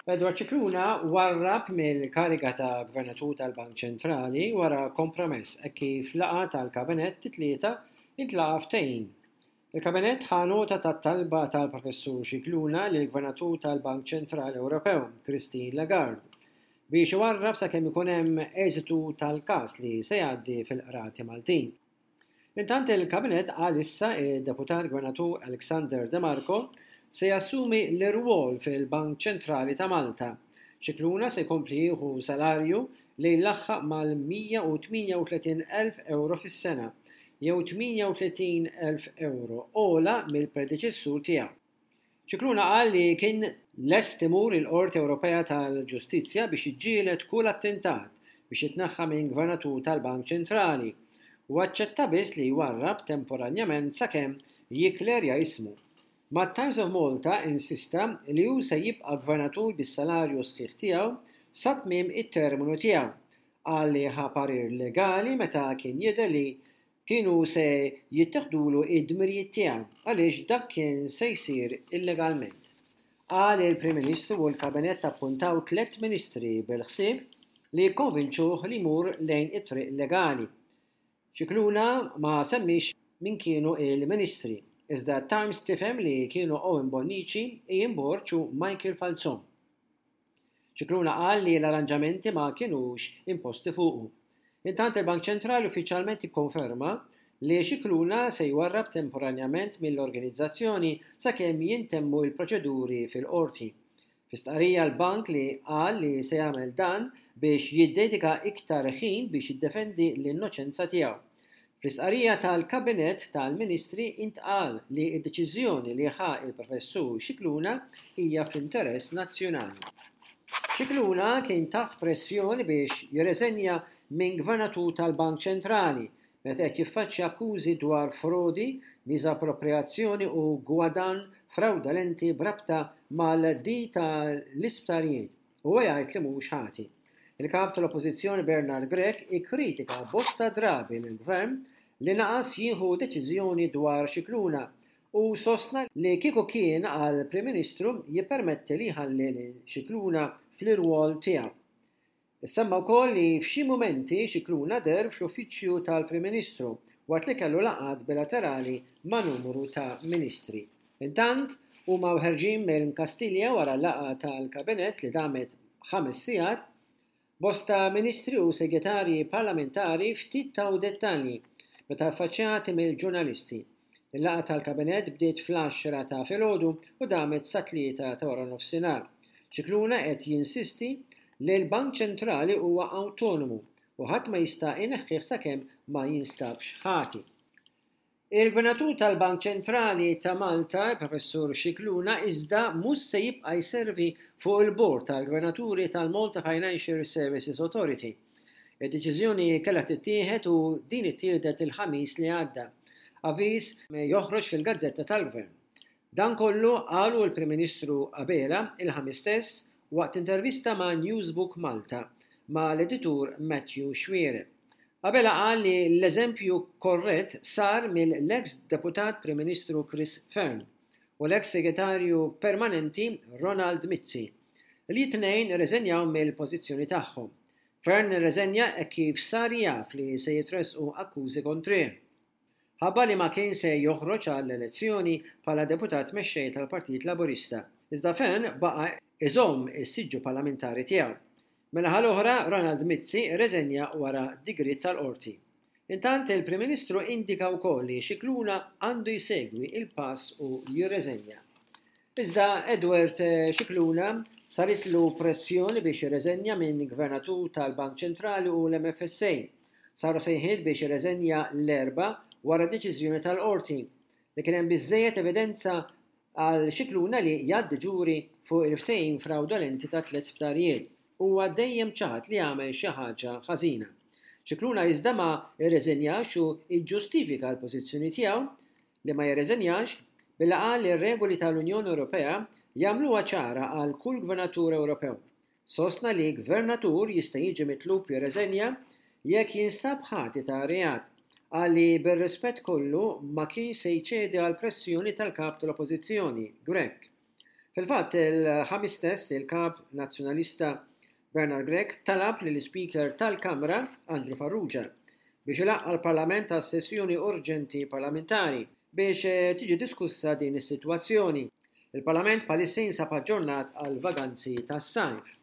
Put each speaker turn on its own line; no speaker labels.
Edward Scicluna warrab mill-kariga ta' Gvernatur tal-Bank Ċentrali wara kompromess hekk kif laqgħa tal-Kabinett it-Tlieta intlaqa' ftehim. Il-Kabinett ħa nota tat-talba tal-Professur Scicluna lill-Gvernatur tal-Bank Ċentrali Ewropew, Christine Lagarde, biex iwarrab sakemm ikun hemm eżitu tal-każ li se jgħaddi fil-qrati Maltin. Intant il-Kabinett qal issa id-Deputat Gvernatur Alexander De Marco se jassumi l-irwol fil-Bank Ċentrali ta' Malta. Scicluna se jkompli jieħu salarju li jlaħħaq mal-138,000 ewro fis-sena, jew 38,000 ewro ogħla mill-predeċessur tiegħu. Scicluna qal li kien lest imur il-Qorti Ewropea tal-Ġustizzja biex jiġġieled kull attentat biex jitneħħa minn Gvernatur tal-Bank Ċentrali u aċċetta biss li jwarrab temporanjament sakemm jikklerja ismu. Mat-Times of Malta insista li hu se jibqa' Gvernatur bis-salarju sħiħ tiegħu sa tmiem it-terminu tiegħu. Qal li ħa parir legali meta kien jidher li Kienu se jitteħdulu d-dmirijiet tiegħu għaliex dak kien se jsir illegalment. Qal li l-Prim Ministru u l-Kabinett appuntaw tlett ministri bil-ħsieb li jikkonvinċuh li jmur lejn it-triq legali. Scicluna ma semmiex min kienu l-ministri, iżda t-Times tifhem li kienu Owen Bonnici, Ian Borg u Michael Falzon. Scicluna qal li l-arranġamenti ma kinux imposti fuqu. Intant il-Bank Ċentrali uffiċjalment ikkonferma li Scicluna se jwarrab temporanjament mill-organizzazzjoni sakemm jintemmu l-proċeduri fil-Qorti. Fi stqarrija l-bank li qal li se jagħmel dan biex jiddedika iktar ħin biex jiddefendi l-innoċenza tiegħu. Fl-istqarrija tal-Kabinett tal-Ministri intqal li d-deċiżjoni li ħa l-Professur Scicluna hija fl-interess nazzjonali. Scicluna kien taħt pressjoni biex jirreżenja minn Gvernatur tal-Bank Ċentrali meta qed jiffaċċja akkużi dwar frodi, miżapproprijazzjoni u gwadann frawdalenti b'rabta mal-D tal-isptarijiet. Huwa jgħid li mhux ħati. Il-Kap tal-Oppożizzjoni Bernard Grech ikkritika bosta drabi lill-Gvern li naqas jieħu deċiżjoni dwar Scicluna u sostna li kieku kien għall-Prim Ministru jippermetti li jħalli lil Scicluna fl-irwol tiegħu. Issemma wkoll li f'xi mumenti Scicluna deher fl-Uffiċċju tal-Prim Ministru waqt li kellu laqgħat bilaterali ma' numru ta' Ministri. Intant, huma u ħerġin minn Kastilja wara l-laqgħa tal-Kabinett li damet ħames sigħat, bosta Ministri u Segretarji Parlamentari ftit taw dettalji meta affaċċjati mill-ġurnalisti. Il-laqgħa tal-Kabinett bdiet fl-għaxra ta' filgħodu u damet sat-tlieta ta' waranofsinhar. Scicluna qed jinsisti li l-Bank Ċentrali huwa awtonomu u ħadd ma jista' jneħħih sakemm ma jinstabx ħati. Il-Gvernatur tal-Bank Ċentrali ta' Malta, il-Professur Scicluna, iżda mhux se jibqa' jservi fuq il-Bord tal-Gvernaturi tal-Malta Financial Services Authority. Id-deċiżjoni kellha tittieħed u din ittieħdet il-Ħamis li għadda. Avviż joħroġ fil-Gazzetta tal-Gvern. Dan kollu qalu l-Prim Ministru Abela il-Ħamis stess waqt intervista ma' Newsbook Malta ma' l-editur Matthew Xuereb. Abela qal li l-eżempju korrett sar mill-eks Deputat Prim Ministru Chris Fearne u l-eks Segretarju Permanenti Ronald Mizzi li t-tnejn irreżenjaw mill-pożizzjoni tagħhom. Fearne irreżenja hekk kif sar jaf li se jitressqu akkużi kontrih. Ħabbar li ma kien se joħroġ għall-elezzjoni bħala Deputat Mexxej tal-Partit Laburista. Iżda Fearne baqa' iżomm is-siġġu parlamentari tiegħu. Min-naħa l-oħra, Ronald Mizzi rreżenja wara digriet tal-Qorti. Intant, il-Prim Ministru indika wkoll li Scicluna għandu jsegwi l-pass u jirreżenja. Iżda Edward Scicluna saritlu pressjoni biex jirreżenja minn Gvernatur tal-Bank Ċentrali u l-MFSA. Saru sejħiet biex jirreżenja l-Erbgħa wara deċiżjoni tal-Qorti li kien hemm biżżejjed evidenza għal Scicluna li jgħaddi ġuri fuq il-ftehim frawdolenti tat-tlett sptarijiet. Huwa dejjem ċaħad li għamel xi ħaġa ħażina. Scicluna iżda ma rreżenjax u ġġustifika l-pożizzjoni tiegħu li ma jirreżenjax billi qal li r-regoli tal-Unjoni Ewropea jagħmluha ċara għal kull gvernatur Ewropew. Sostna li gvernatur jista' jiġi mitlub jirreżenja jekk jinstab ħati ta' reat. Qal li bir-rispett kollu ma kienx se jċedi għall-pressjoni tal-Kap tal-Oppożizzjoni, Grech. Fil-fatt, il-Ħamis stess, il-Kap Nazzjonalista Bernard Grech talab lill-Ispeaker tal-Kamra, Andrew Farrugia, biex ilaqqa' l-Parlament għal sessjoni urġenti parlamentari biex tiġi diskussa din is-sitwazzjoni. Il-Parlament bħalissa jinsab aġġornat għall-vaganzi tas-sajf.